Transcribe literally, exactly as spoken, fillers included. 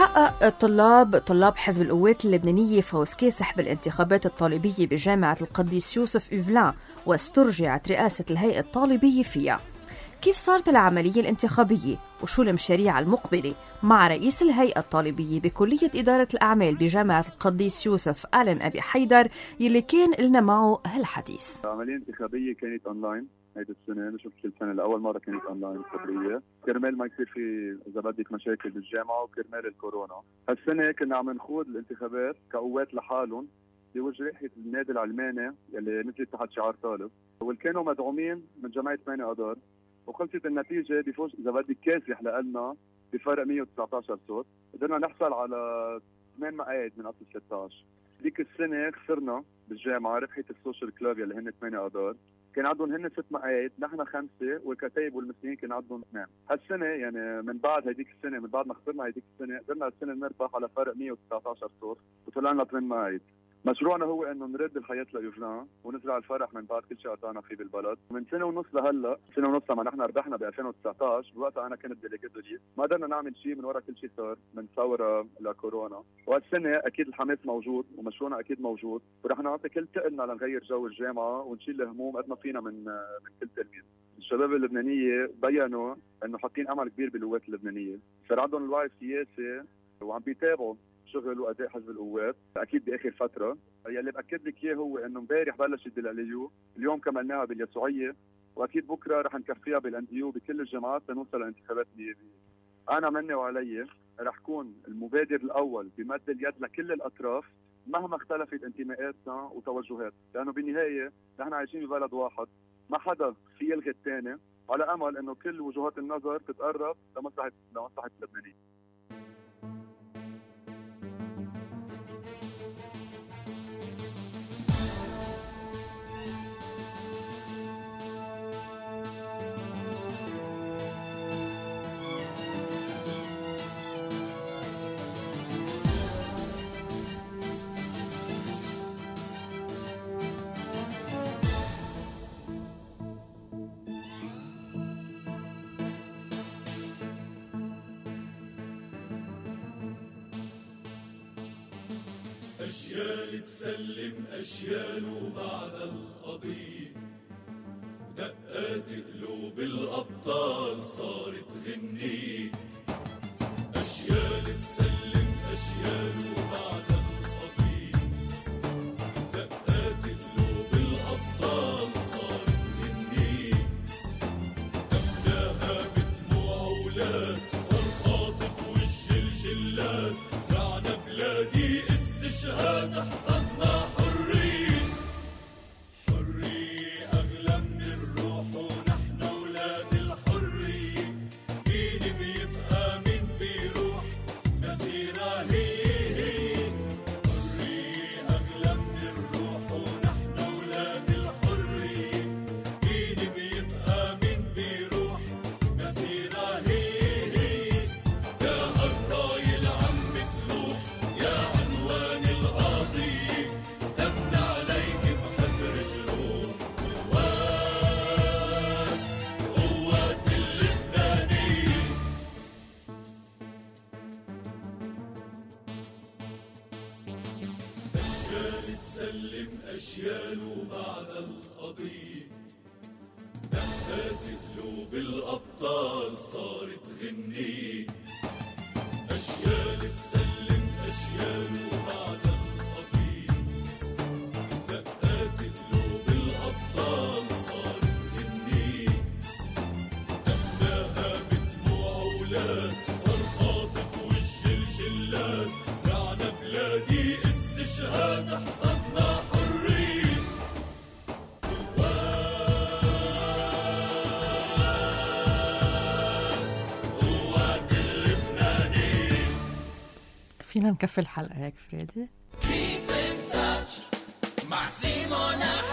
حقق الطلاب طلاب حزب القوات اللبنانية فوز كاسح بالانتخابات الطالبية بجامعة القديس يوسف إيفلان، واسترجعت رئاسة الهيئة الطالبية فيها. كيف صارت العملية الانتخابية وشو المشاريع المقبلة مع رئيس الهيئة الطالبية بكلية إدارة الأعمال بجامعة القديس يوسف آلن أبي حيدر يلي كان لنا معه هالحديث. العملية الانتخابية كانت أونلاين هيدي السنة، مش كل سنة، لأول مرة كانت أونلاين الخبرية، كرمال ما يصير في إذا بدك مشاكل بالجامعة وكرمال الكورونا. هالسنة كنا عم نخوض الانتخابات كقوات لحالهم بوجه النادي العلماني يلي نزلت تحت شعار طالب، واللي كانوا مدعومين من جمعية ثمانية أذار، وخلصت النتيجة بفوز إذا بدك كاسح لنا بفرق مية وتسعة عشر صوت، قدرنا نحصل على ثمان مقاعد من أصل ثلاثة عشر. ديك السنة خسرنا بالجامعة، ربحت السوشيال كلاب يلي هن ثمانية أذار، كان عندهم هن ست مقاعد، نحن خمسة، والكتايب والمسلمين كان عندهم اثنين. هالسنة يعني من بعد هيديك السنة، من بعد ما خسرنا هيديك السنة، قدرنا هالسنة نربح على فرق مية وتسعة عشر صوت وطلعنا ثمان مقاعد. مشروعنا هو انه نرد الحياة لإيفلان ونزرع الفرح من بعد كل شيء قطعنا فيه بالبلد. من سنة ونص لهلا، سنة ونص لما نحن ربحنا ب ألفين وتسعة عشر، بوقتها انا كنت ديليجيت ليست، ما قدرنا نعمل شيء من وراء كل شيء صار من ثورة لكورونا. وهالسنة اكيد الحماس موجود ومشروعنا اكيد موجود، ورح نعطي كل تقلنا لنغير جو الجامعة ونشيل الهموم قد ما فينا من من كل تلميذ. الشباب اللبنانية بيّنوا انه حاطين امل كبير بالقوات اللبنانية، صار عندهم الوعي السياسي وعم بيتابعوا شغل واداء حزب القوات اكيد باخر فتره. يلي باكد لك اياه هو انه امبارح بلشت بالاليو، اليوم كملناها باليسوعيه، واكيد بكره رح نكفيها بالانديو بكل الجامعات لنوصل لانتخابات نيابيه. انا مني وعلي رح كون المبادر الاول بمد اليد لكل الاطراف مهما اختلفت انتماءاتنا وتوجهات، لانه بالنهايه نحن عايشين ببلد واحد، ما حدا في يلغي الثاني، على امل انه كل وجهات النظر تتقرب لمصلحه لمصلحه اللبنانيين. أجيال تسلم أجيال وبعد القضية، دقات قلوب الأبطال صارت غنية. أجيال تسلم أجيال وبعد القضية، دقات قلوب الأبطال صارت غنية. تملاها بدموع أولاد، صار خاطب وجه الجلاد، زرعنا بلادي استشهاد، حصدنا حرية. حرية أغلى من الروح ونحن أولاد الحرية. مين بيبقى مين بيروح، مسيرة هي هي. حرية أغلى من الروح ونحن أولاد الحرية. مين بيبقى مين بيروح، مسيرة هي هي. يا هالراية العم تلوح، يا عنوان القضية، دمنا عليك بحبر جروح. قوات قوات اللبنانية. أجيال تسلم أجيال وبعد القضية، دقات قلوب الأبطال صارت غنية. أجيال تسلم أجيال وبعد القضية، دقات قلوب الأبطال صارت غنية. تملاها بدموع أولاد، صار خاطب وجه الجلاد، زرعنا بلادي استشهاد، حصدنا حرية. قوات اللبنانية. فينا نكفي الحلقة هيك فريدي؟ Keep in touch مع سيمونا